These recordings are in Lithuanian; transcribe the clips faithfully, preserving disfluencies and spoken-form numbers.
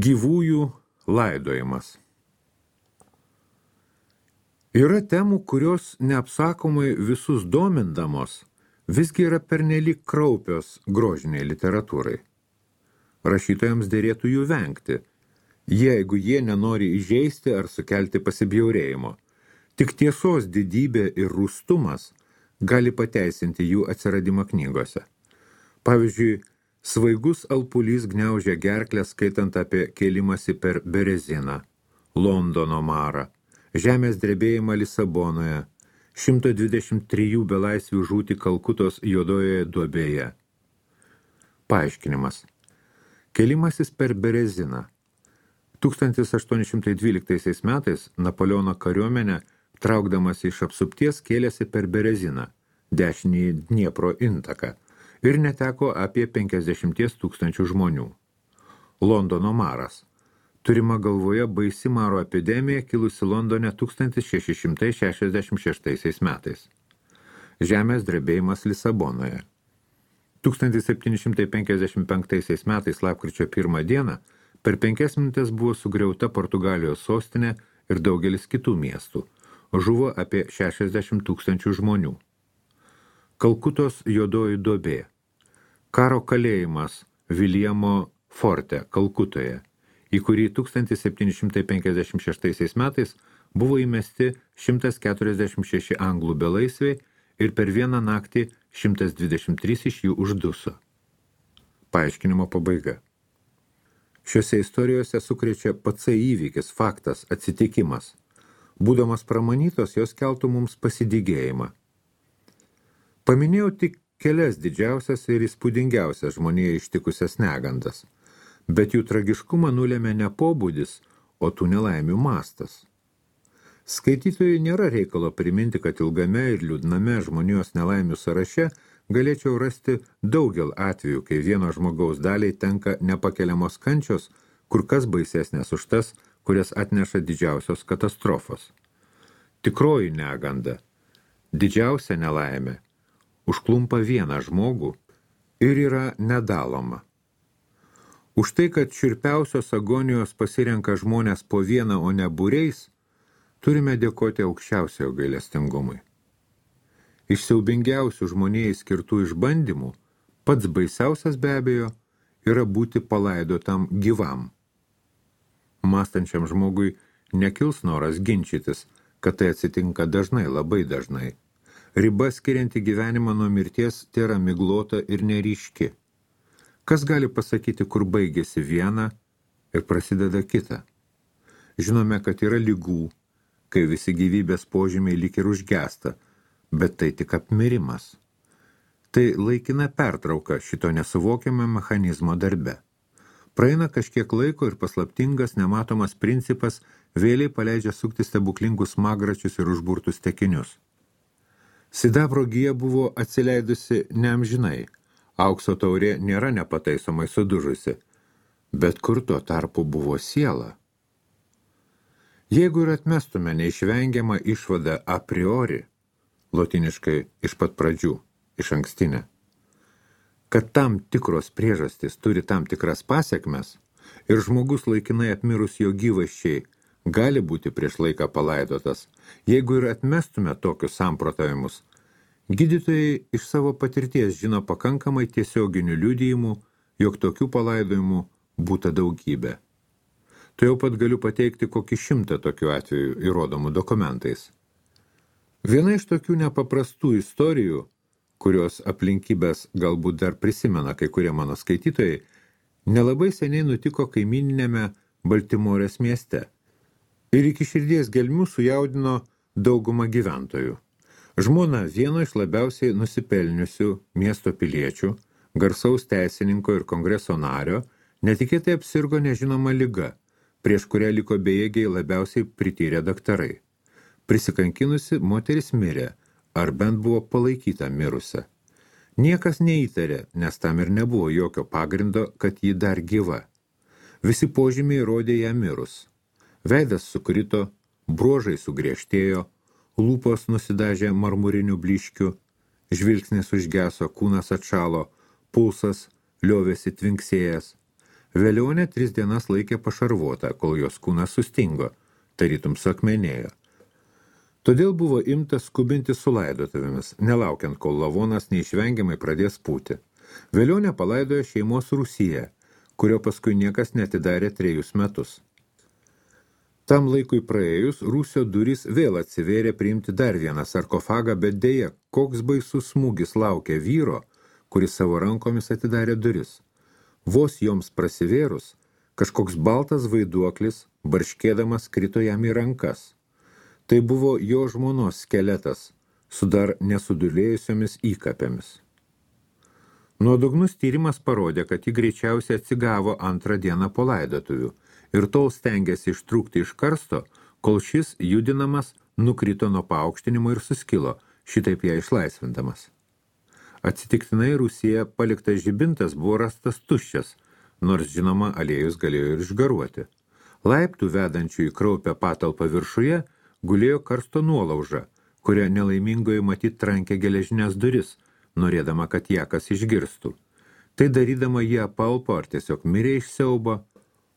Gyvųjų laidojimas. Yra temų, kurios neapsakomai visus domindamos, visgi yra pernelyg kraupios grožiniai literatūrai. Rašytojams dėrėtų jų vengti, jeigu jie nenori įžeisti ar sukelti pasibjaurėjimo. Tik tiesos didybė ir rūstumas gali pateisinti jų atsiradimą knygose. Pavyzdžiui, svaigus alpulys gniaužia gerklę skaitant apie kėlimąsi per Bereziną, Londono marą, žemės drebėjimą Lisabonoje, šimto dvidešimt trijų belaisvių žūti Kalkutos juodojoje duobėje. Paaiškinimas. Kėlimasis per Bereziną. tūkstantis aštuoni šimtai dvyliktaisiais metais Napoleono kariuomenė, traukdamas iš apsupties, kėlėsi per Bereziną, dešinįjį Dniepro intaką, ir neteko apie penkiasdešimt tūkstančių žmonių. Londono maras. Turima galvoje baisi maro epidemija kilusi Londone tūkstantis šeši šimtai šešiasdešimt šeštaisiais metais. Žemės drebėjimas Lisabonoje. tūkstantis septyni šimtai penkiasdešimt penktaisiais metais lapkričio pirmą dieną per penkias minutės buvo sugriauta Portugalijos sostinė ir daugelis kitų miestų. Žuvo apie šešiasdešimt tūkstančių žmonių. Kalkutos juodoji duobė. Karo kalėjimas Viljamo forte Kalkutoje, į kurį tūkstantis septyni šimtai penkiasdešimt šeštaisiais metais buvo įmesti šimtas keturiasdešimt šeši anglų belaisviai ir per vieną naktį šimtas dvidešimt trys iš jų užduso. Paaiškinimo pabaiga. Šiuose istorijose sukrečia pats įvykis, faktas, atsitikimas. Būdamas pramanytos, jos keltų mums pasidygėjimą. Paminėjau tik kelias didžiausias ir įspūdingiausias žmonėje ištikusias negandas, bet jų tragiškumą nulėmė ne pobūdis, o tų nelaimių mastas. Skaitytojui nėra reikalo priminti, kad ilgame ir liūdname žmonijos nelaimių sąraše galėčiau rasti daugel atvejų, kai vieno žmogaus daliai tenka nepakeliamos kančios, kur kas baisesnės už tas, kurias atneša didžiausios katastrofos. Tikroji neganda, didžiausia nelaimė, užklumpa vieną žmogų ir yra nedaloma. Už tai, kad šiurpiausios agonijos pasirenka žmonės po vieną, o ne būriais, turime dėkoti aukščiausiojo gailestingumui. Iš siaubingiausių žmonijai skirtų išbandymų, pats baisiausias be abejo yra būti palaidotam gyvam. Mąstančiam žmogui nekils noras ginčytis, kad tai atsitinka dažnai, labai dažnai. Riba skirianti gyvenimą nuo mirties tėra miglota ir neryški. Kas gali pasakyti, kur baigėsi viena ir prasideda kita? Žinome, kad yra ligų, kai visi gyvybės požymiai lyg ir užgesta, bet tai tik apmirimas. Tai laikina pertrauka šito nesuvokiamo mechanizmo darbe. Praeina kažkiek laiko ir paslaptingas, nematomas principas vėliai paleidžia sukti stebuklingus smagračius ir užburtus tekinius. Sidabro gija buvo atsileidusi neamžinai, aukso taurė nėra nepataisomai sudužusi, bet kur tuo tarpu buvo siela. Jeigu ir atmestume neišvengiamą išvadą a priori, lotiniškai iš pat pradžių, iš ankstinę, kad tam tikros priežastys turi tam tikras pasekmes ir žmogus laikinai apmirus jo gyvasčiai gali būti prieš laiką palaidotas, jeigu ir atmestume tokius samprotavimus, gydytojai iš savo patirties žino pakankamai tiesioginių liudijimų, jog tokių palaidojimų būta daugybė. Tai jau pat galiu pateikti kokį šimtą tokių atvejų įrodomų dokumentais. Viena iš tokių nepaprastų istorijų, kurios aplinkybės galbūt dar prisimena kai kurie mano skaitytojai, nelabai seniai nutiko kaimyninėme Baltimorės mieste ir iki širdies gelmių sujaudino daugumą gyventojų. Žmona vieno iš labiausiai nusipelniusių miesto piliečių, garsaus teisininko ir kongreso nario, netikėtai apsirgo nežinoma liga, prieš kurią liko bejėgiai labiausiai prityrę daktarai. Prisikankinusi moteris mirė, ar bent buvo palaikyta mirusią. Niekas neįtarė, nes tam ir nebuvo jokio pagrindo, kad ji dar gyva. Visi požymiai rodė ją mirus. Veidas sukrito, bruožai sugriežtėjo, lūpos nusidažė marmuriniu blyškiu, žvilgsnis užgeso, kūnas atšalo, pulsas liovėsi tvinksėjęs. Velionė tris dienas laikė pašarvota, kol jos kūnas sustingo, tarytum suakmenėjo. Todėl buvo imtas skubinti su laidotuvėmis, nelaukiant, kol lavonas neišvengiamai pradės pūti. Velionė palaidojo šeimos rūsyje, kurio paskui niekas netidarė trejus metus. Tam laikui praėjus, rūsio durys vėl atsivėrė priimti dar vieną sarkofagą, bet dėja, koks baisus smūgis laukia vyro, kuris savo rankomis atidarė duris. Vos joms prasivėrus, kažkoks baltas vaiduoklis, barškėdamas, krito jam į rankas. Tai buvo jo žmonos skeletas, su dar nesudulėjusiomis įkapėmis. Nuodugnus tyrimas parodė, kad ji greičiausiai atsigavo antrą dieną po laidotuvių ir tol stengėsi ištrūkti iš karsto, kol šis judinamas nukrito nuo paaukštinimo ir suskilo, šitaip ją išlaisvindamas. Atsitiktinai Rūsyje paliktas žibintas buvo rastas tuščias, nors žinoma aliejus galėjo ir išgaruoti. Laiptų vedančių į kraupę patalpą viršuje gulėjo karsto nuolauža, kurią nelaimingoji matyt trankė geležinės duris, norėdama, kad ją kas išgirstų. Tai darydama jie apalpo ar tiesiog mirė iš siaubo,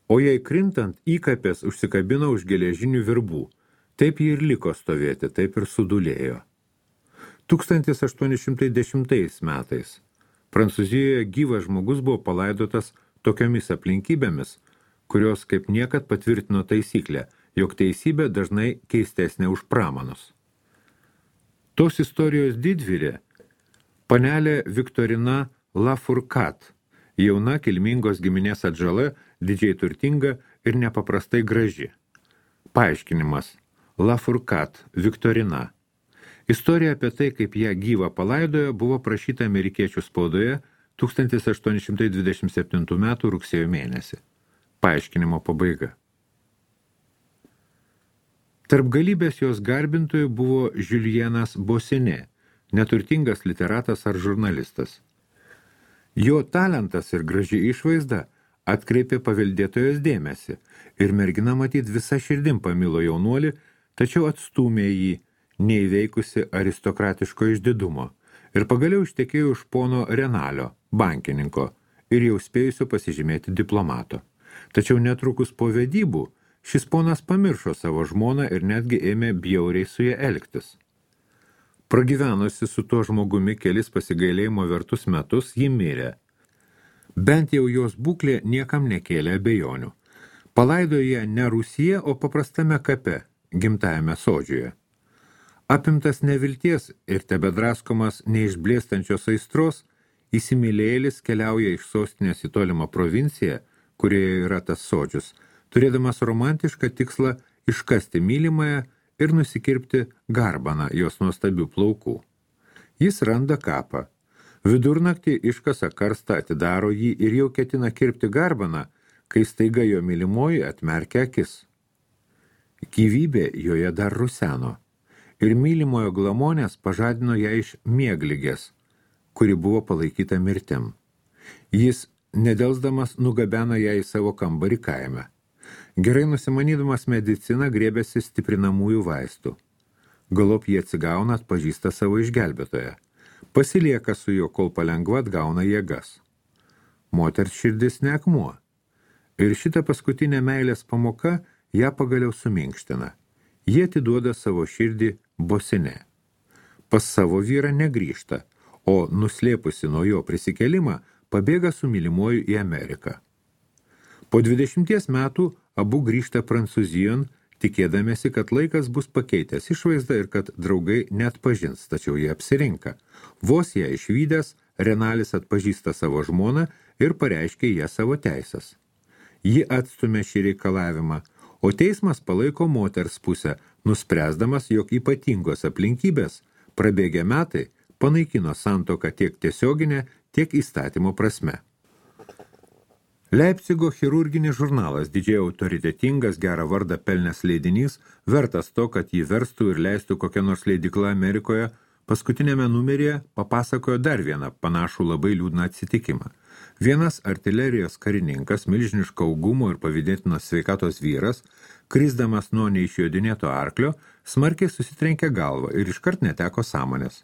o jai krintant įkapės užsikabino už geležinių virbų. Taip ji ir liko stovėti, taip ir sudulėjo. tūkstantis aštuoni šimtai dešimtais metais Prancūzijoje gyvas žmogus buvo palaidotas tokiomis aplinkybėmis, kurios kaip niekad patvirtino taisyklę, jog teisybė dažnai keistesnė už pramanus. Tos istorijos didvyrė panelė Viktorina Lafourcade, jauna kilmingos giminės atžala, didžiai turtinga ir nepaprastai graži. Paaiškinimas Lafourcade Viktorina. Istorija apie tai, kaip ją gyvą palaidojo, buvo prašyta amerikiečių spaudoje tūkstantis aštuoni šimtai dvidešimt septintų metų rugsėjo mėnesį. Paaiškinimo pabaiga. Tarp galybės jos garbintojų buvo Julienas Bossuet, neturtingas literatas ar žurnalistas. Jo talentas ir graži išvaizda atkreipė paveldėtojos dėmesį ir mergina matyt visą širdim pamilo jaunuolį, tačiau atstūmė jį, neįveikusi aristokratiško išdidumo, ir pagaliau ištekėjo už pono Renalio, bankininko, ir jau spėjusio pasižymėti diplomato. Tačiau netrukus po vedybų šis ponas pamiršo savo žmoną ir netgi ėmė bjauriai su ja elgtis. Pragyvenusi su tuo žmogumi kelis pasigailėjimo vertus metus, ji mirė. Bent jau jos būklė niekam nekėlė abejonių. Palaidojo ją ne Rūsyje, o paprastame kape, gimtajame sodžiuje. Apimtas nevilties ir tebedraskomas neišblėstančios aistros, įsimylėlis keliauja iš sostinės į tolimą provinciją, kurioje yra tas sodžius, turėdamas romantišką tikslą iškasti mylimąją ir nusikirpti garbaną jos nuostabių plaukų. Jis randa kapą. Vidurnaktį iškasa karstą, atidaro jį ir jau ketina kirpti garbaną, kai staiga jo mylimoji atmerkia akis. Gyvybė joje dar ruseno. Ir mylimojo glamonės pažadino ją iš miegligės, kuri buvo palaikyta mirtim. Jis, nedelsdamas, nugabeno ją į savo kambarį kaime. Gerai nusimanydamas mediciną grėbėsi stiprinamųjų vaistų. Galop jie atsigauna, atpažįsta savo išgelbėtoją. Pasilieka su juo, kol palengva atgauna jėgas. Moters širdis ne akmuo. Ir šita paskutinė meilės pamoka ją pagaliau suminkština. Jie atiduoda savo širdį Bossuet. Pas savo vyrą negrįžta, o nuslėpusi nuo jo prisikelimą, pabėga su mylimuoju į Ameriką. Po dvidešimties metų abu grįžta Prancūzijon, tikėdamėsi, kad laikas bus pakeitęs išvaizdą ir kad draugai neatpažins, tačiau jie apsirinka. Vos ją išvydęs, Renalis atpažįsta savo žmoną ir pareiškia ją savo teisės. Ji atstumė šį reikalavimą, o teismas palaiko moters pusę, nuspręsdamas, jog ypatingos aplinkybės, prabėgę metai, panaikino santuoką tiek tiesioginę, tiek įstatymo prasme. Leipcigo chirurginis žurnalas, didžiai autoritetingas, gerą vardą pelnęs leidinys, vertas to, kad jį verstų ir leistų kokią nors leidykla Amerikoje, paskutinėme numeryje papasakojo dar vieną panašų labai liūdną atsitikimą. Vienas artilerijos karininkas, milžiniško augumo ir pavydėtinos sveikatos vyras, krisdamas nuo neišjodinėto arklio, smarkiai susitrenkė galvą ir iškart neteko sąmonės.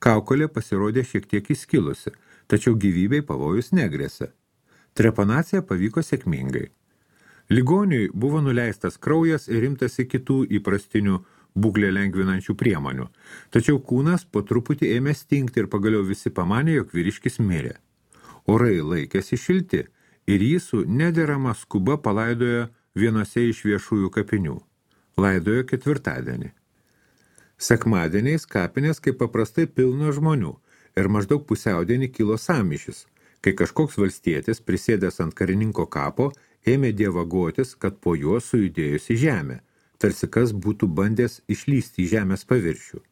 Kaukolė pasirodė šiek tiek įskilusi, tačiau gyvybei pavojus negrėsė. Trepanacija pavyko sėkmingai. Ligoniui buvo nuleistas kraujas ir imtasi kitų įprastinių būklę lengvinančių priemonių, tačiau kūnas po truputį ėmė stingti ir pagaliau visi pamanė, jog vyriškis mirė. Orai laikėsi šilti ir jį su nederama skuba palaidojo vienose iš viešųjų kapinių. Laidojo ketvirtadienį. Sekmadieniais kapinės kaip paprastai pilno žmonių ir maždaug pusiaudienį kilo sąmyšis, kai kažkoks valstietis, prisėdęs ant karininko kapo, ėmė dievagotis, kad po juo sujudėjusi žemė, tarsi kas būtų bandęs išlysti į žemės paviršių.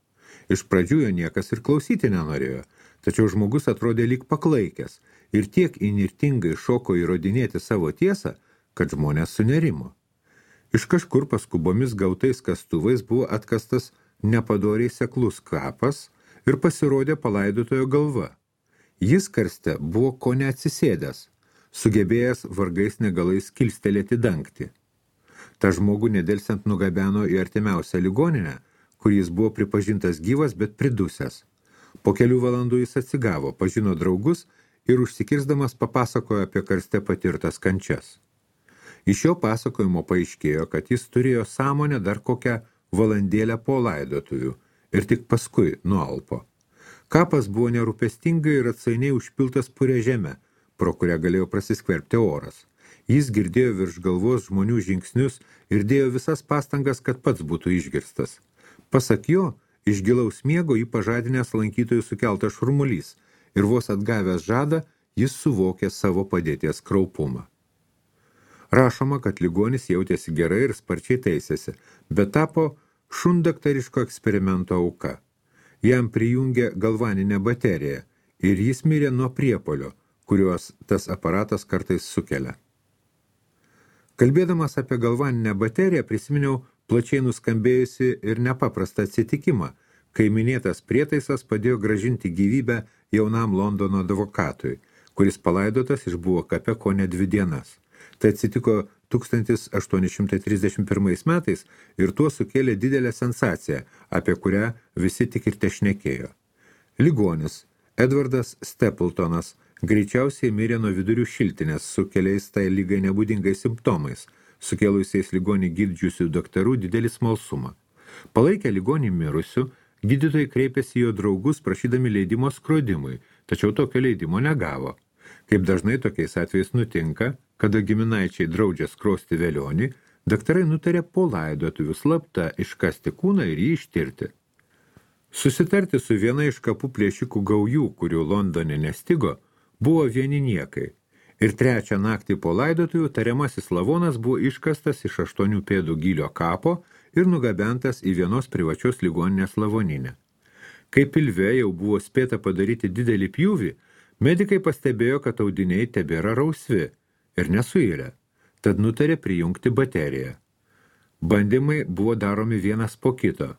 Iš pradžių jo niekas ir klausyti nenorėjo, tačiau žmogus atrodė lyg paklaikęs ir tiek įnirtingai šoko įrodinėti savo tiesą, kad žmonės sunerimo. Iš kažkur paskubomis gautais kastuvais buvo atkastas nepadoriai seklus kapas ir pasirodė palaidotojo galva. Jis karste buvo ko neatsisėdęs, sugebėjęs vargais negalais kilstelėti dangtį. Ta žmogų nedelsiant nugabeno į artimiausią ligoninę, kur jis buvo pripažintas gyvas, bet pridusęs. Po kelių valandų jis atsigavo, pažino draugus ir užsikirsdamas papasakojo apie karste patirtas kančias. Iš jo pasakojimo paaiškėjo, kad jis turėjo sąmonę dar kokią valandėlę po laidotuvių ir tik paskui nualpo. Kapas buvo nerūpestingai ir atsainiai užpiltas purė žeme, pro kurią galėjo prasiskverbti oras. Jis girdėjo virš galvos žmonių žingsnius ir dėjo visas pastangas, kad pats būtų išgirstas. Pasak jo, iš gilaus miego jį pažadinęs lankytojų sukeltas šurmulys ir vos atgavęs žadą, jis suvokė savo padėties kraupumą. Rašoma, kad ligonis jautėsi gerai ir sparčiai teisėsi, bet tapo šundaktariško eksperimento auka. Jam prijungė galvaninę bateriją ir jis mirė nuo priepolio, kuriuos tas aparatas kartais sukelia. Kalbėdamas apie galvaninę bateriją prisiminiau plačiai nuskambėjusi ir nepaprastą atsitikimą, kai minėtas prietaisas padėjo grąžinti gyvybę jaunam Londono advokatui, kuris palaidotas išbuvo kape kone dvi dienas. Tai atsitiko tūkstantis aštuoni šimtai trisdešimt pirmais metais ir tuo sukėlė didelę sensaciją, apie kurią visi tik ir tešnekėjo. Ligonis, Edvardas Stepletonas, greičiausiai mirė nuo vidurių šiltinės su keliais tai lygai nebūdingais simptomais, sukėlusiais ligonį gydžiusių daktarų didelį smalsumą. Palaikę ligonį mirusių, gydytojai kreipėsi jo draugus prašydami leidimo skrodimui, tačiau tokio leidimo negavo. Kaip dažnai tokiais atvejais nutinka, kada giminaičiai draudžia skrosti velionį, daktarai nutarė po laidotuvių slapta iškasti kūną ir jį ištirti. Susitarti su viena iš kapų plėšikų gaujų, kurių Londone nestigo, buvo vieni niekai. Ir trečią naktį po laidotuvių tariamasis lavonas buvo iškastas iš aštuonių pėdų gylio kapo ir nugabentas į vienos privačios ligoninės lavoninę. Kai pilve jau buvo spėta padaryti didelį pjūvį, medikai pastebėjo, kad audiniai tebėra rausvi ir nesuirę, tad nutarė prijungti bateriją. Bandymai buvo daromi vienas po kito,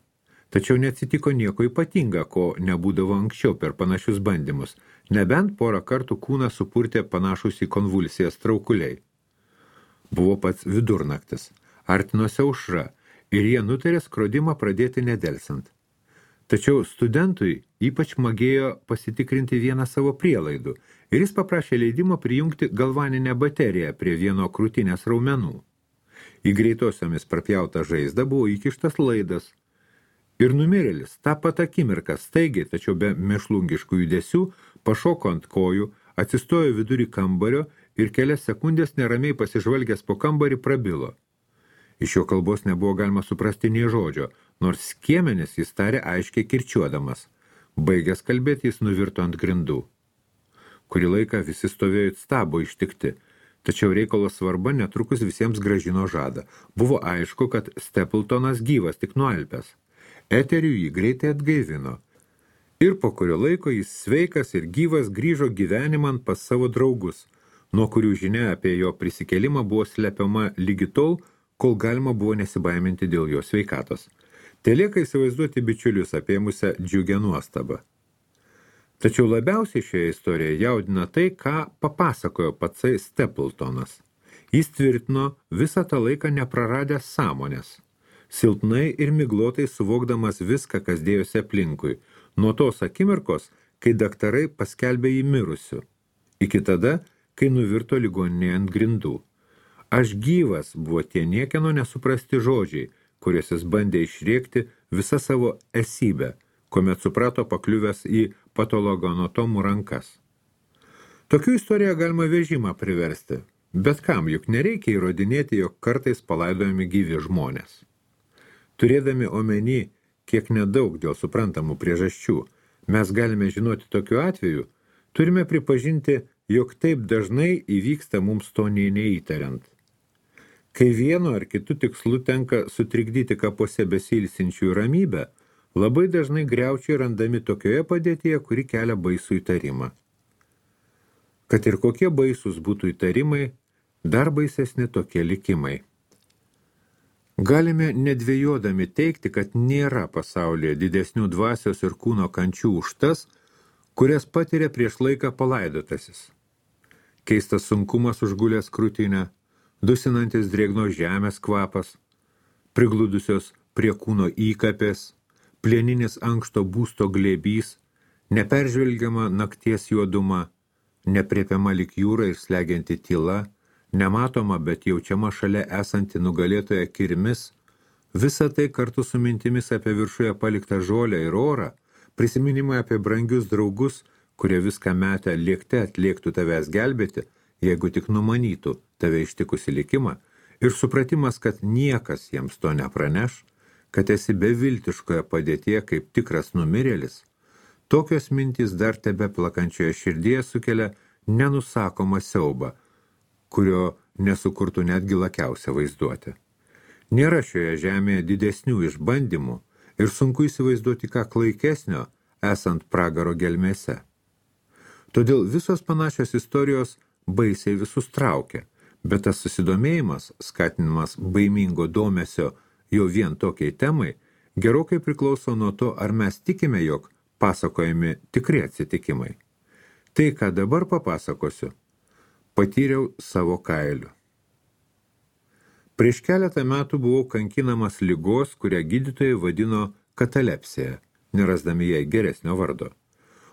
tačiau neatsitiko nieko ypatinga, ko nebūdavo anksčiau per panašius bandymus, nebent porą kartų kūną supurtė panašus į konvulsijas traukuliai. Buvo pats vidurnaktis, artinosi aušra ir jie nutarė skrodimą pradėti nedelsant. Tačiau studentui ypač magėjo pasitikrinti vieną savo prielaidų ir jis paprašė leidimo prijungti galvaninę bateriją prie vieno krūtinės raumenų. Į greitosiomis prapjautą žaizdą buvo įkištas laidas ir numirėlis tą pat akimirką staigiai, tačiau be mėšlungiškų judesių, pašoko ant kojų, atsistojo vidurį kambario ir kelias sekundės neramiai pasižvalgęs po kambarį prabilo. Iš jo kalbos nebuvo galima suprasti nė žodžio, nors skiemenis jis tarė aiškiai kirčiuodamas. Baigęs kalbėti, jis nuvirto ant grindų. Kurį laiką visi stovėjo stabo ištikti, tačiau reikalo svarba netrukus visiems grąžino žadą. Buvo aišku, kad Stepletonas gyvas tik nualpęs. Eterių jį greitai atgaivino. Ir po kurio laiko jis sveikas ir gyvas grįžo gyvenimant pas savo draugus, nuo kurių žinia apie jo prisikėlimą buvo slepiama lygi tol, kol galima buvo nesibaiminti dėl jo sveikatos. Telieka įsivaizduoti bičiulius apėmusią džiugę nuostabą. Tačiau labiausiai šioje istorijoje jaudina tai, ką papasakojo patsai Stepletonas. Jis tvirtino visą tą laiką nepraradęs sąmonės, silpnai ir miglotai suvokdamas viską, kas dėjosi aplinkui, nuo tos akimirkos, kai daktarai paskelbė jį mirusiu, iki tada, kai nuvirto ligoninėje ant grindų. Aš gyvas buvo tie niekieno nesuprasti žodžiai, kuriuos jis bandė išrėkti visą savo esybę, kuomet suprato pakliuvęs į patologoanatomų rankas. Tokių istoriją galima vežimą priversti, bet kam juk nereikia įrodinėti, jog kartais palaidojami gyvi žmonės. Turėdami omeny, kiek nedaug dėl suprantamų priežasčių, mes galime žinoti tokiu atveju, turime pripažinti, jog taip dažnai įvyksta mums to nei neįtariant. Kai vienu ar kitu tikslu tenka sutrikdyti kapuose besilsinčių ramybę, labai dažnai griaučiai randami tokioje padėtyje, kuri kelia baisų įtarimą. Kad ir kokie baisūs būtų įtarimai, dar baisesni tokie likimai. Galime nedvejodami teigti, kad nėra pasaulyje didesnių dvasios ir kūno kančių už tas, kurias patiria prieš laiką palaidotasis. Keistas sunkumas užgulęs krūtinę, dusinantis drėgnos žemės kvapas, prigludusios prie kūno įkapės, plieninis ankšto būsto glėbys, neperžvelgiama nakties juoduma, nepriepiama lyg jūra ir slegianti tyla, nematoma, bet jaučiama šalia esanti nugalėtoja kirmis, visa tai kartu su mintimis apie viršuje paliktą žolę ir orą, prisiminimai apie brangius draugus, kurie viską metę lėkte atliektų tavęs gelbėti, jeigu tik numanytų tave ištikusi likimą, ir supratimas, kad niekas jiems to nepraneš, kad esi beviltiškoje padėtyje kaip tikras numirėlis, tokios mintys dar tebe plakančioje širdyje sukelia nenusakomą siaubą, kurio nesukurtų netgi lakiausia vaizduoti. Nėra šioje žemėje didesnių išbandymų ir sunku įsivaizduoti ką klaikesnio, esant pragaro gelmėse. Todėl visos panašios istorijos baisiai visus traukia, bet tas susidomėjimas, skatinimas baimingo domesio jau vien tokiai temai, gerokai priklauso nuo to, ar mes tikime, jog pasakojami tikri atsitikimai. Tai, ką dabar papasakosiu, patyriau savo kailiu. Prieš keletą metų buvau kankinamas ligos, kurią gydytojai vadino katalepsija, nerasdami jai geresnio vardo.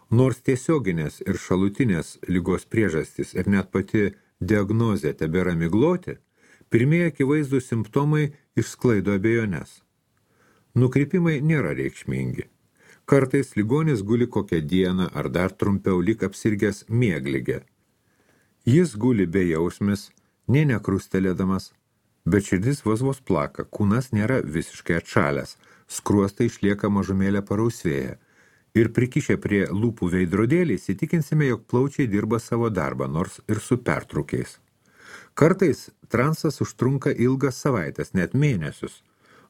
Nors tiesioginės ir šalutinės ligos priežastys ir net pati diagnozė tebėra migloti, pirmieji akivaizdų simptomai išsklaido abejones. Nukrypimai nėra reikšmingi. Kartais ligonis guli kokią dieną ar dar trumpiau lyg apsirgęs miegligė. Jis guli bejausmis, nė nekrustelėdamas, bet širdis vos vos plaka, kūnas nėra visiškai atšalęs, skruostai išlieka mažumėlę parausvėję. Ir prikišę prie lūpų veidrodėlį įsitikinsime, jog plaučiai dirba savo darbą, nors ir su pertraukiais. Kartais transas užtrunka ilgas savaitės, net mėnesius,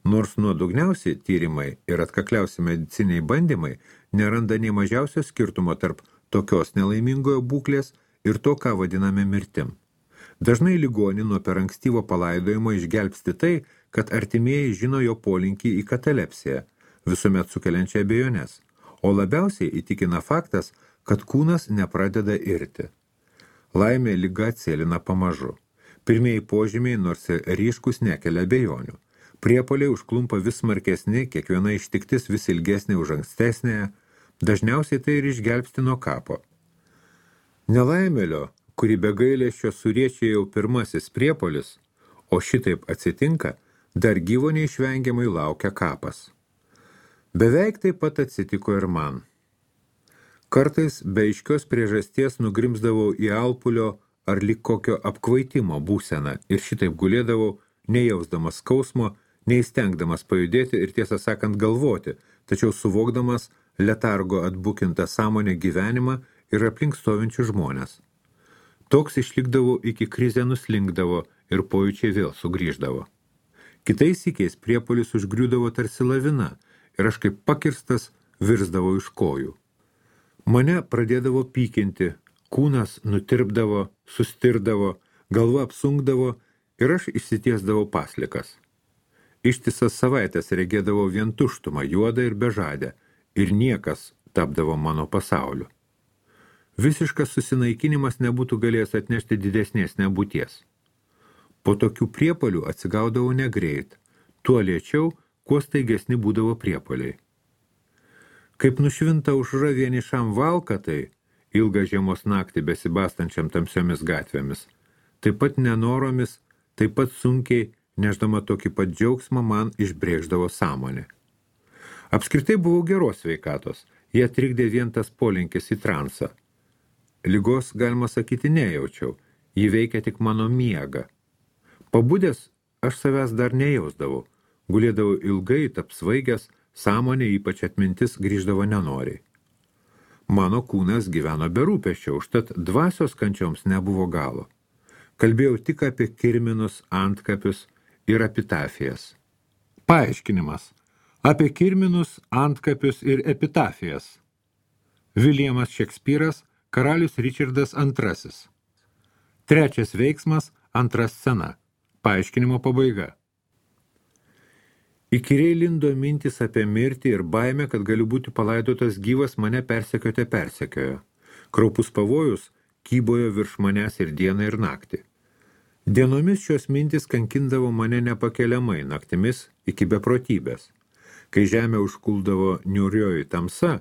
nors nuodugniausi tyrimai ir atkakliausi mediciniai bandymai neranda nei mažiausio skirtumo tarp tokios nelaimingojo būklės ir to, ką vadiname mirtim. Dažnai ligonį nuo per ankstyvo palaidojimo išgelbsti tai, kad artimieji žino jo polinkį į katalepsiją, visuomet sukeliančią abejones, o labiausiai įtikina faktas, kad kūnas nepradeda irti. Laimė liga atsėlina pamažu. Pirmieji požymiai, nors ir ryškus, nekelia abejonių. Priepuoliai užklumpa vis smarkesni, kiekviena ištiktis vis ilgesnė už ankstesnėje, dažniausiai tai ir išgelbsti nuo kapo. Nelaimėlio, kuri be gailesčio suriečia jau pirmasis priepuolis, o šitaip atsitinka, dar gyvo neišvengiamai laukia kapas. Beveik taip pat atsitiko ir man. Kartais be aiškios priežasties nugrimzdavau į alpulio ar lyg kokio apkvaitimo būseną ir šitaip gulėdavau, nejausdamas skausmo, neįstengdamas pajudėti ir tiesą sakant galvoti, tačiau suvokdamas letargo atbukintą sąmonę gyvenimą ir aplink stovinčių žmonės. Toks išlikdavo iki krizė nuslinkdavo ir pojūčiai vėl sugrįždavo. Kitais sykiais priepuolis užgriūdavo tarsi lavina ir aš kaip pakirstas virsdavo iš kojų. Mane pradėdavo pykinti, kūnas nutirpdavo, sustirdavo, galva apsunkdavo ir aš išsitiesdavau paslikas. Ištisas savaitės regėdavau vien tuštumą, juodą ir bežadę, ir niekas tapdavo mano pasauliu. Visiškas susinaikinimas nebūtų galėjęs atnešti didesnės nebūties. Po tokių priepuolių atsigaudavau negreit, tuo lėčiau, kuo staigesni būdavo priepuoliai. Kaip nušvinta aušra vienišam valkatai, ilgą žiemos naktį besibastančiam tamsiomis gatvėmis. Taip pat nenoromis, taip pat sunkiai, neždama tokį pat džiaugsmą, man išbrėždavo sąmonė. Apskritai buvau geros sveikatos, jie trikdė vien tas polinkis į transą. Ligos, galima sakyti, nejaučiau, jį veikia tik mano miegą. Pabudęs aš savęs dar nejausdavau, gulėdavau ilgai, apsvaigęs, sąmonė, ypač atmintis, grįždavo nenoriai. Mano kūnas gyveno be rūpesčio, užtat dvasios kančioms nebuvo galo. Kalbėjau tik apie kirminus, antkapius ir epitafijas. Paaiškinimas. Apie kirminus, antkapius ir epitafijas. Viljamas Šekspyras, karalius Ričardas antrasis. Trečias veiksmas, antra scena. Paaiškinimo pabaiga. Įkyriai lindo mintis apie mirtį ir baimę, kad galiu būti palaidotas gyvas, mane persekiote persekiojo. Kraupus pavojus kybojo virš manęs ir dieną ir naktį. Dienomis šios mintis kankindavo mane nepakeliamai, naktimis iki beprotybės. Kai žemė užkuldavo niūrioji tamsa,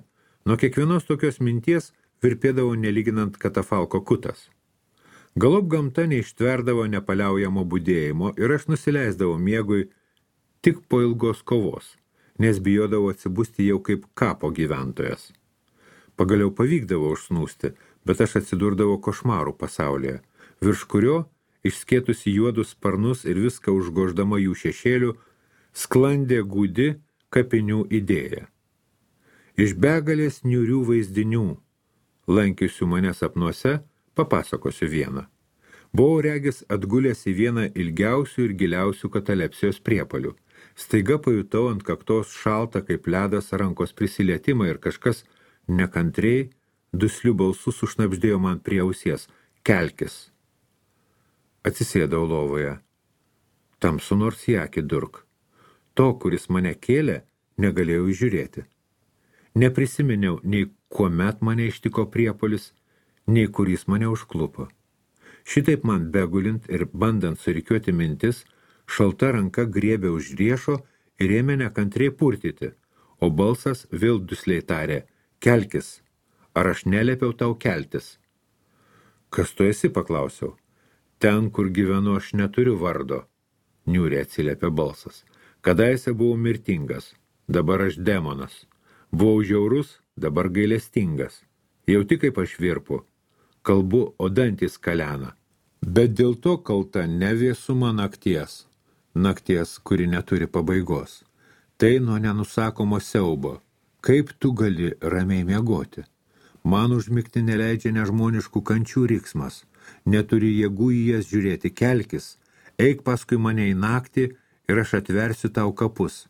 nuo kiekvienos tokios minties virpėdavo nelyginant katafalko kutas. Galop gamta neištverdavo nepaliaujamo budėjimo ir aš nusileisdavau miegui tik po ilgos kovos, nes bijodavau atsibusti jau kaip kapo gyventojas. Pagaliau pavykdavo užsnūsti, bet aš atsidurdavau košmarų pasaulyje, virš kurio, išskėtusi juodus sparnus ir viską užgoždama jų šešėlių, sklandė gūdi kapinių idėja. Iš begalės niūrių vaizdinių, lankiusių mane sapnuose, papasakosiu vieną. Buvau regis atgulęs į vieną ilgiausių ir giliausių katalepsijos priepalių. Staiga pajutau ant kaktos šaltą kaip ledas rankos prisilietimą ir kažkas nekantriai, dusliu balsu sušnabždėjo man prie ausies. Kelkis. Atsisėdau lovoje. Tamsu nors į akį durk. To, kuris mane kėlė, negalėjau įžiūrėti. Neprisiminiau nei kuomet mane ištiko priepolis, nei kuris mane užklupo. Šitaip man begulint ir bandant surikiuoti mintis, šalta ranka griebė už riešo ir ėmė nekantriai purtyti, o balsas vėl dusliai tarė, kelkis, ar aš neliepiau tau keltis? Kas tu esi, paklausiau. Ten, kur gyvenu, aš neturiu vardo, niūriai atsiliepė balsas. Kadaise buvau mirtingas, dabar aš demonas. Buvau žiaurus, dabar gailestingas. Jauti kaip aš virpu. Kalbu, o dantys kalena. Bet dėl to kalta ne vėsuma nakties. Nakties, kuri neturi pabaigos. Tai nuo nenusakomo siaubo. Kaip tu gali ramiai miegoti? Man užmigti neleidžia nežmoniškų kančių riksmas. Neturi jėgų į jas žiūrėti, kelkis. Eik paskui mane į naktį ir aš atversiu tau kapus.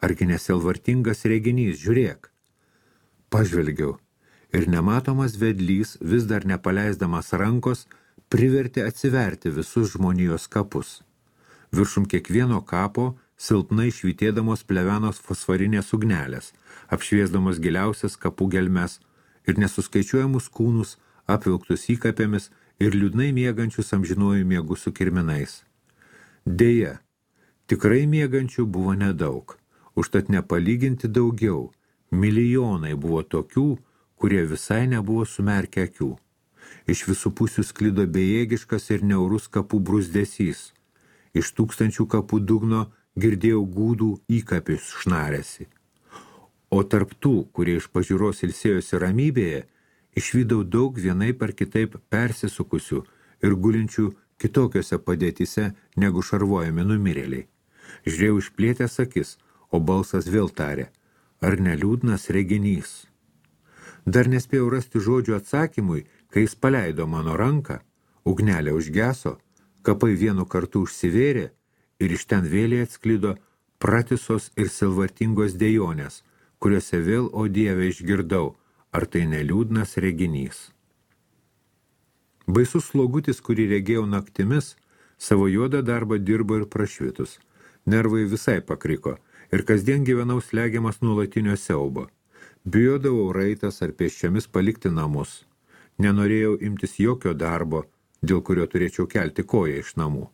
Argi neselvartingas reginys, žiūrėk. Pažvelgiau. Ir nematomas vedlys, vis dar nepaleisdamas rankos, privertė atsiverti visus žmonijos kapus. Viršum kiekvieno kapo, silpnai švytėdamos plevenos fosforinės ugnelės, apšviesdamos giliausias kapų gelmes ir nesuskaičiuojamus kūnus, apvilktus įkapėmis ir liūdnai miegančius amžinuoju miegu su kirminais. Deja, tikrai miegančių buvo nedaug, užtat nepalyginti daugiau, milijonai buvo tokių, kurie visai nebuvo sumerkę akių. Iš visų pusių sklido bejėgiškas ir niaurus kapų brūzdesys. Iš tūkstančių kapų dugno girdėjau gūdų įkapius šnarėsi. O tarp tų, kurie iš pažiūros ilsėjosi ramybėje, išvydau daug vienaip ar kitaip persisukusių ir gulinčių kitokiose padėtise negu šarvojami numirėliai. Žiūrėjau išplėtęs akis, o balsas vėl tarė, ar neliūdnas reginys. Dar nespėjau rasti žodžių atsakymui, kai jis paleido mano ranką, ugnelė užgeso, kapai vienu kartu užsivėrė ir iš ten vėliai atsklido pratisos ir silvartingos dejonės, kuriuose vėl, o Dieve, išgirdau, ar tai neliūdnas reginys. Baisus slogutis, kurį regėjau naktimis, savo juodą darbą dirbo ir prašvitus. Nervai visai pakriko ir kasdien gyvenau slegiamas nuolatinio siaubo. Bijodavau raitas ar pėsčiomis palikti namus. Nenorėjau imtis jokio darbo, dėl kurio turėčiau kelti koją iš namų.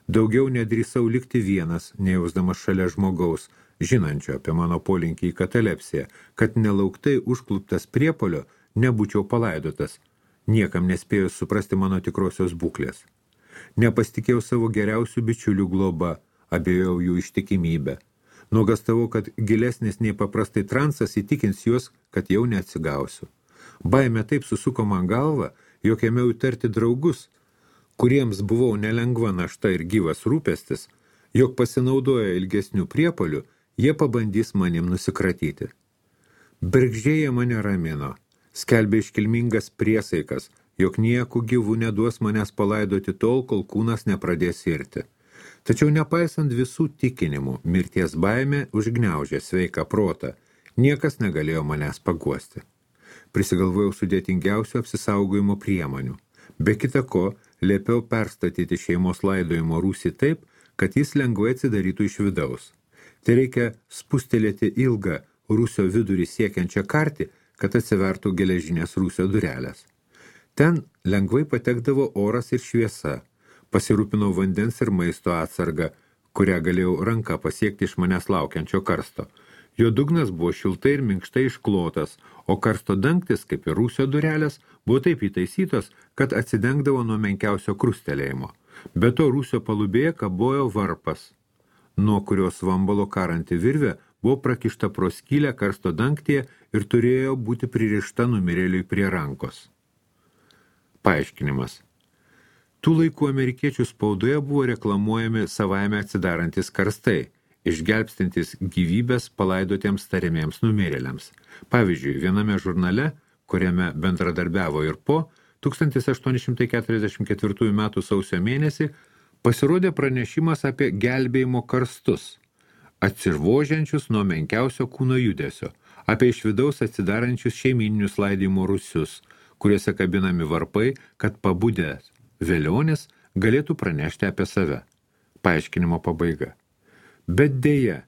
Daugiau nedrįsau likti vienas, nejausdamas šalia žmogaus, žinančio apie mano polinkį į katalepsiją, kad nelauktai užkluptas priepolio nebūčiau palaidotas, niekam nespėjus suprasti mano tikrosios būklės. Nepasitikėjau savo geriausių bičiulių globa, abejojau jų ištikimybę. Nuogastavau, kad gilesnis nei paprastai transas įtikins juos, kad jau neatsigausiu. Baimė taip susuko man galvą, jog ėmiau įtarti draugus, kuriems buvau nelengva našta ir gyvas rūpestis, jog pasinaudoję ilgesnių priepuolių, jie pabandys manim nusikratyti. Bergždžiai mane ramino, skelbė iškilmingas priesaikas, jog nieku gyvų neduos manęs palaidoti tol, kol kūnas nepradės irti. Tačiau nepaisant visų tikinimų, mirties baimė užgniaužė sveiką protą, niekas negalėjo manęs paguosti. Prisigalvojau sudėtingiausių apsisaugojimo priemonių. Be kita ko, liepiau perstatyti šeimos laidojimo rūsį taip, kad jis lengvai atsidarytų iš vidaus. Tai reikia spustelėti ilgą rūsio vidurį siekiančią kartį, kad atsivertų geležinės rūsio durelės. Ten lengvai patekdavo oras ir šviesa. Pasirūpinau vandens ir maisto atsargą, kurią galėjau ranką pasiekti iš manęs laukiančio karsto. Jo dugnas buvo šiltai ir minkštai išklotas, o karsto dangtis, kaip ir rūsio durelės, buvo taip įtaisytos, kad atsidengdavo nuo menkiausio krustelėjimo. Be to rūsio palubėje kabojo varpas, nuo kurios vambalo karanti virvė buvo prakišta pro skylę karsto dangtyje ir turėjo būti pririšta numirėliui prie rankos. Paaiškinimas. Tų laikų amerikiečių spaudoje buvo reklamuojami savaime atsidarantis karstai, išgelbstintis gyvybės palaidotiems tariamiems numirėliams. Pavyzdžiui, viename žurnale, kuriame bendradarbiavo ir po, tūkstantis aštuoni šimtai keturiasdešimt ketvirtųjų metų sausio mėnesį pasirodė pranešimas apie gelbėjimo karstus, atsivožiančius nuo menkiausio kūno judesio, apie iš vidaus atsidarančius šeimyninius laidojimo rūsius, kuriuose kabinami varpai, kad pabudęs velionis galėtų pranešti apie save. Paaiškinimo pabaiga. Bet deja,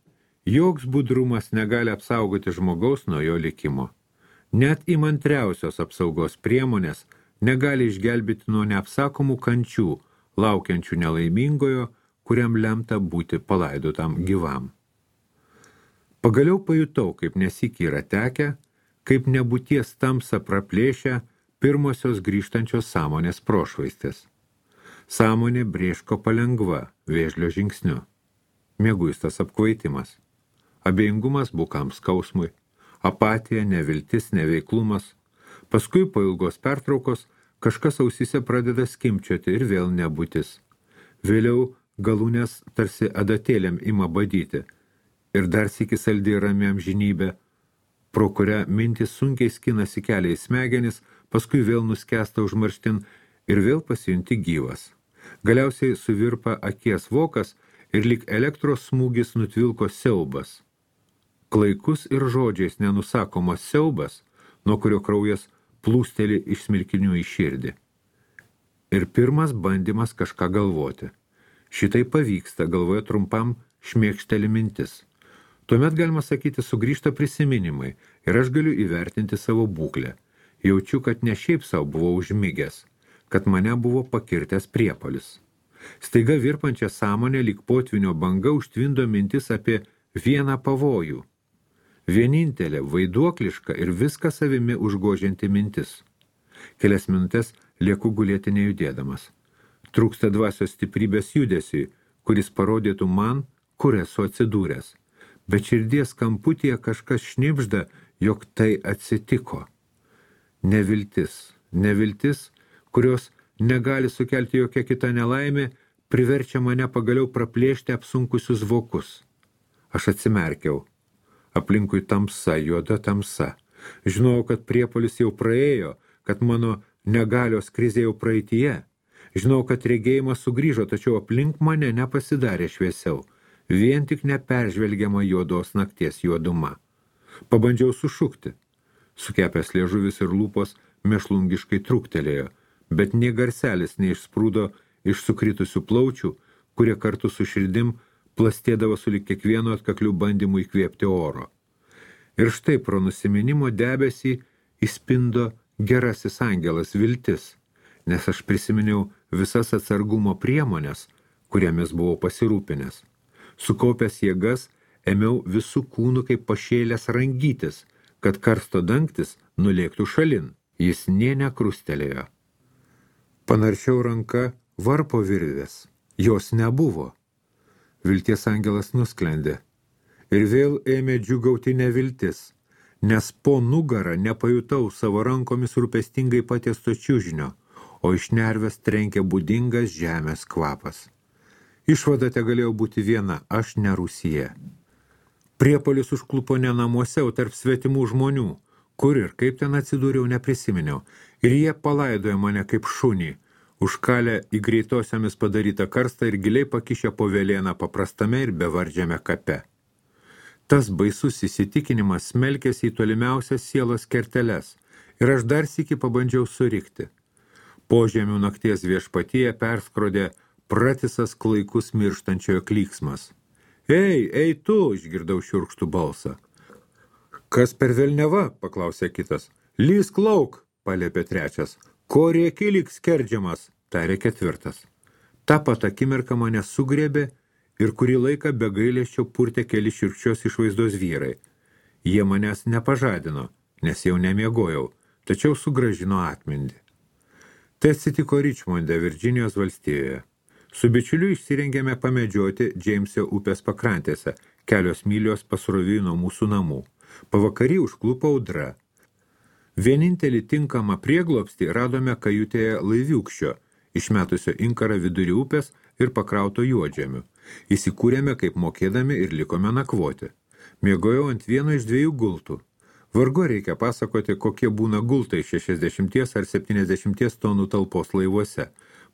joks budrumas negali apsaugoti žmogaus nuo jo likimo. Net įmantriausios apsaugos priemonės negali išgelbėti nuo neapsakomų kančių, laukiančių nelaimingojo, kuriam lemta būti palaidotam gyvam. Pagaliau pajutau, kaip nesyk yra tekę, kaip nebūties tamsa praplėšia pirmosios grįžtančios sąmonės prošvaistės. Sąmonė brėško palengva, vėžlio žingsniu. Mieguistas apkvaitimas. Abejingumas bukam skausmui. Apatija, neviltis, neveiklumas. Paskui po ilgos pertraukos kažkas ausyse pradeda skimčioti ir vėl nebūtis. Vėliau galūnės tarsi adatėlėm ima badyti. Ir dar sykį saldi rami amžinybė, pro kurią mintis sunkiai skinasi kelią į smegenis, paskui vėl nuskęsta užmarštin ir vėl pasijunti gyvas. Galiausiai suvirpa akies vokas ir lyg elektros smūgis nutvilko siaubas. Klaikus ir žodžiais nenusakomas siaubas, nuo kurio kraujas plūsteli iš smilkinių į širdį. Ir pirmas bandymas kažką galvoti. Šitai pavyksta, galvoje trumpam šmėkšteli mintis. Tuomet, galima sakyti, sugrįžta prisiminimai ir aš galiu įvertinti savo būklę. Jaučiu, kad ne šiaip savo buvau užmigęs, kad mane buvo pakirtęs priepuolis. Staiga virpančią sąmonę lyg potvinio banga užtvindo mintis apie vieną pavojų. Vienintelė, vaiduokliška ir viską savimi užgožianti mintis. Kelias minutės lieku gulėti nejudėdamas. Trūksta dvasios stiprybės judesiui, kuris parodytų man, kur esu atsidūręs. Bet širdies kamputyje kažkas šnibžda, jog tai atsitiko. Neviltis, neviltis, kurios negali sukelti jokia kita nelaimė, priverčia mane pagaliau praplėšti apsunkusius vokus. Aš atsimerkiau. Aplinkui tamsa, juoda tamsa. Žinojau, kad priepuolis jau praėjo, kad mano negalios krizė jau praeityje. Žinau, kad regėjimas sugrįžo, tačiau aplink mane nepasidarė šviesiau. Vien tik neperžvelgiama juodos nakties juoduma. Pabandžiau sušukti. Sukepęs liežuvis ir lūpos mėšlungiškai trūktelėjo, bet nė garselis neišsprūdo iš sukritusių plaučių, kurie kartu su širdim plastėdavo sulig kiekvienu atkakliu bandymu įkvėpti oro. Ir štai pro nusiminimo debesį įspindo gerasis angelas viltis, nes aš prisiminiau visas atsargumo priemonės, kuriamis buvau pasirūpinęs. Sukaupęs jėgas, ėmiau visų kūnų kaip pašėlęs rangytis, kad karsto dangtis nulėktų šalin. Jis nė nekrustelėjo. Panaršiau ranka varpo virvės. Jos nebuvo. Vilties angelas nusklendė. Ir vėl ėmė džiugauti neviltis, nes po nugarą nepajutau savo rankomis rūpestingai patiesto čiužinio, o iš nervės trenkė būdingas žemės kvapas. Išvada te galėjo būti viena, aš ne Rusija. Priepuolis užklupo ne namuose, o tarp svetimų žmonių, kur ir kaip ten atsidūriau neprisiminiau, ir jie palaidojo mane kaip šunį, užkalę į greitosiamis padarytą karstą ir giliai pakišę po vėlieną paprastame ir bevardžiame kape. Tas baisus įsitikinimas smelkėsi į tolimiausias sielos kerteles, ir aš dar sykį pabandžiau surikti. Požemių nakties viešpatyje perskrodė pratisas klaikus mirštančiojo klyksmas. Ei, ei tu, išgirdau šiurkštų balsą. Kas per velneva, paklausė kitas. Lysk lauk, paliepė trečias. Ko rėki lyg skerdžiamas, tarė ketvirtas. Ta pat akimirka mane sugriebė ir kurį laiką be gailesčio purtė keli šiurkščios išvaizdos vyrai. Jie manęs nepažadino, nes jau nemiegojau, tačiau sugrąžino atmindį. Tai atsitiko Ričmonde, Virdžinijos valstijoje. Su bičiuliu išsirengėme pamedžioti Džeimsio upės pakrantėse, kelios mylios pasroviui nuo mūsų namų. Pavakarį užklupo audra. Vienintelį tinkamą prieglobstį radome kajutėje laiviūkščio, išmetusio inkarą vidury upės ir pakrauto juodžemių. Įsikūrėme kaip mokėdami ir likome nakvoti. Miegojau ant vieno iš dviejų gultų. Vargu reikia pasakoti, kokie būna gultai šešiasdešimties ar septyniasdešimties tonų talpos laivuose.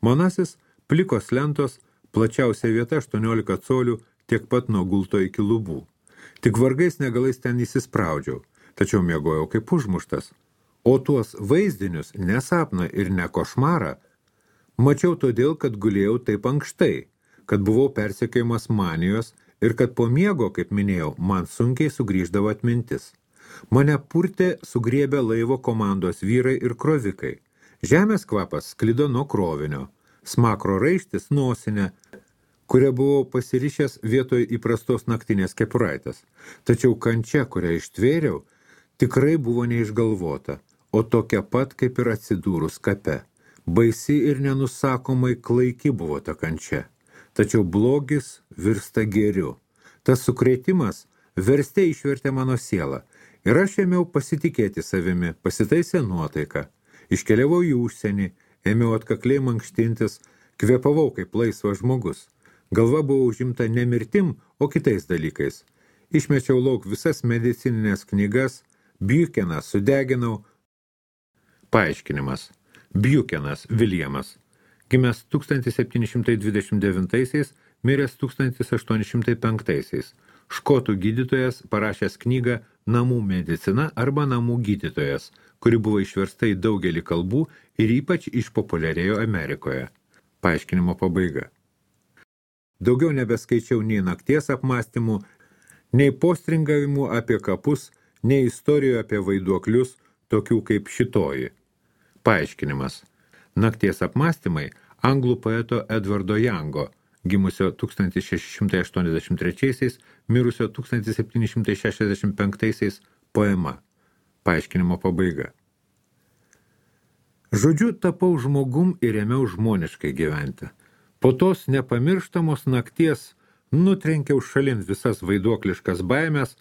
Manasis plikos lentos, plačiausia vieta aštuoniolika colių, tiek pat nuo gulto iki lubų. Tik vargais negalais ten įsispraudžiau, tačiau miegojau kaip užmuštas. O tuos vaizdinius, ne sapną ir ne košmarą, mačiau todėl, kad gulėjau taip ankštai, kad buvau persekiojamas manijos ir kad po miego, kaip minėjau, man sunkiai sugrįždavo atmintis. Mane purtė sugriebę laivo komandos vyrai ir krovikai. Žemės kvapas sklido nuo krovinio. Smakro raištis nosinę, kurią buvau pasirišęs vietoj įprastos naktinės kepuraitės. Tačiau kančia, kurią ištvėriau, tikrai buvo neišgalvota, o tokia pat kaip ir atsidūrus kape. Baisi ir nenusakomai klaiki buvo ta kančia. Tačiau blogis virsta gėriu. Tas sukrėtimas verste išvertė mano sielą. Ir aš ėmiau pasitikėti savimi, pasitaisė nuotaiką. Iškeliavau į užsienį, ėmiau atkakliai mankštintis, kvėpavau kaip laisvas žmogus. Galva buvo užimta ne mirtim, o kitais dalykais. Išmečiau lauk visas medicininės knygas, Biukeną sudeginau. Paaiškinimas. Biukenas Viljamas. Gimęs tūkstantis septyni šimtai dvidešimt devintaisiais, miręs tūkstantis aštuoni šimtai penktaisiais. Škotų gydytojas parašęs knygą Namų medicina arba Namų gydytojas, kuri buvo išversta į daugelį kalbų ir ypač išpopuliarėjo Amerikoje. Paaiškinimo pabaiga. Daugiau nebeskaičiau nei nakties apmąstymų, nei postringavimų apie kapus, nei istorijų apie vaiduoklius, tokių kaip šitoji. Paaiškinimas. Nakties apmąstymai anglų poeto Edvardo Youngo, gimusio tūkstantis šeši šimtai aštuoniasdešimt trečiaisiais, mirusio tūkstantis septyni šimtai šešiasdešimt penktaisiais poema. Paaiškinimo pabaiga. Žodžiu, tapau žmogum ir ėmiau žmoniškai gyventi. Po tos nepamirštamos nakties nutrenkiau šalin visas vaiduokliškas baimės,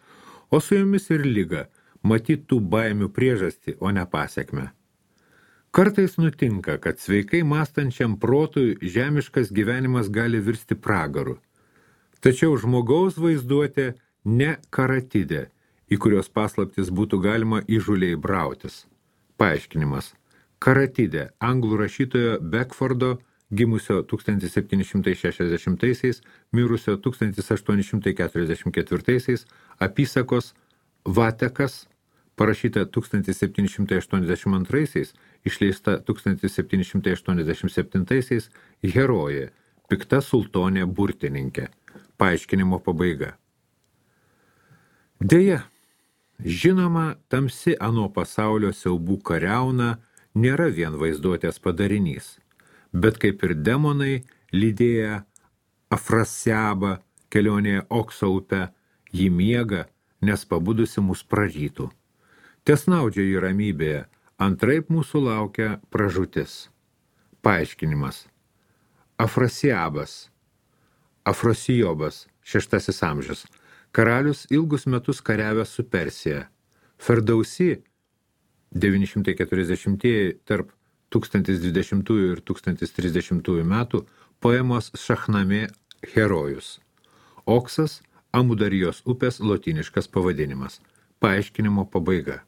o su jomis ir lyga, matyt tų baimių priežastį, o ne pasekmę. Kartais nutinka, kad sveikai mąstančiam protui žemiškas gyvenimas gali virsti pragaru. Tačiau žmogaus vaizduotė ne karatidė, į kurios paslaptis būtų galima įžūliai brautis. Paaiškinimas. Karatidė, anglų rašytojo Beckfordo, gimusio tūkstantis septyni šimtai šešiasdešimtaisiais, mirusio tūkstantis aštuoni šimtai keturiasdešimt ketvirtaisiais, apysakos Vatekas, parašyta tūkstantis septyni šimtai aštuoniasdešimt antraisiais, išleista tūkstantis septyni šimtai aštuoniasdešimt septintaisiais, herojė, pikta sultonė burtininkė. Paaiškinimo pabaiga. Deja, žinoma, tamsi ano pasaulio siaubų kariauna nėra vien vaizduotės padarinys, bet kaip ir demonai, lydėję Afrasiabą kelionėje Okso upe, jį miega, nes pabudusi mus prarytų. Tesnaudžia jį ramybėje, antraip mūsų laukia pražūtis. Paaiškinimas. Afrasiabas, Afrosijobas, šeštasis amžius, karalius ilgus metus kariavęs su Persija. Ferdausi, devyni šimtai keturiasdešimtieji tarp tūkstantis dvidešimtųjų ir tūkstantis trisdešimtųjų metų, poemos Šahnamė herojus. Oksas, Amudarijos upės lotyniškas pavadinimas. Paaiškinimo pabaiga.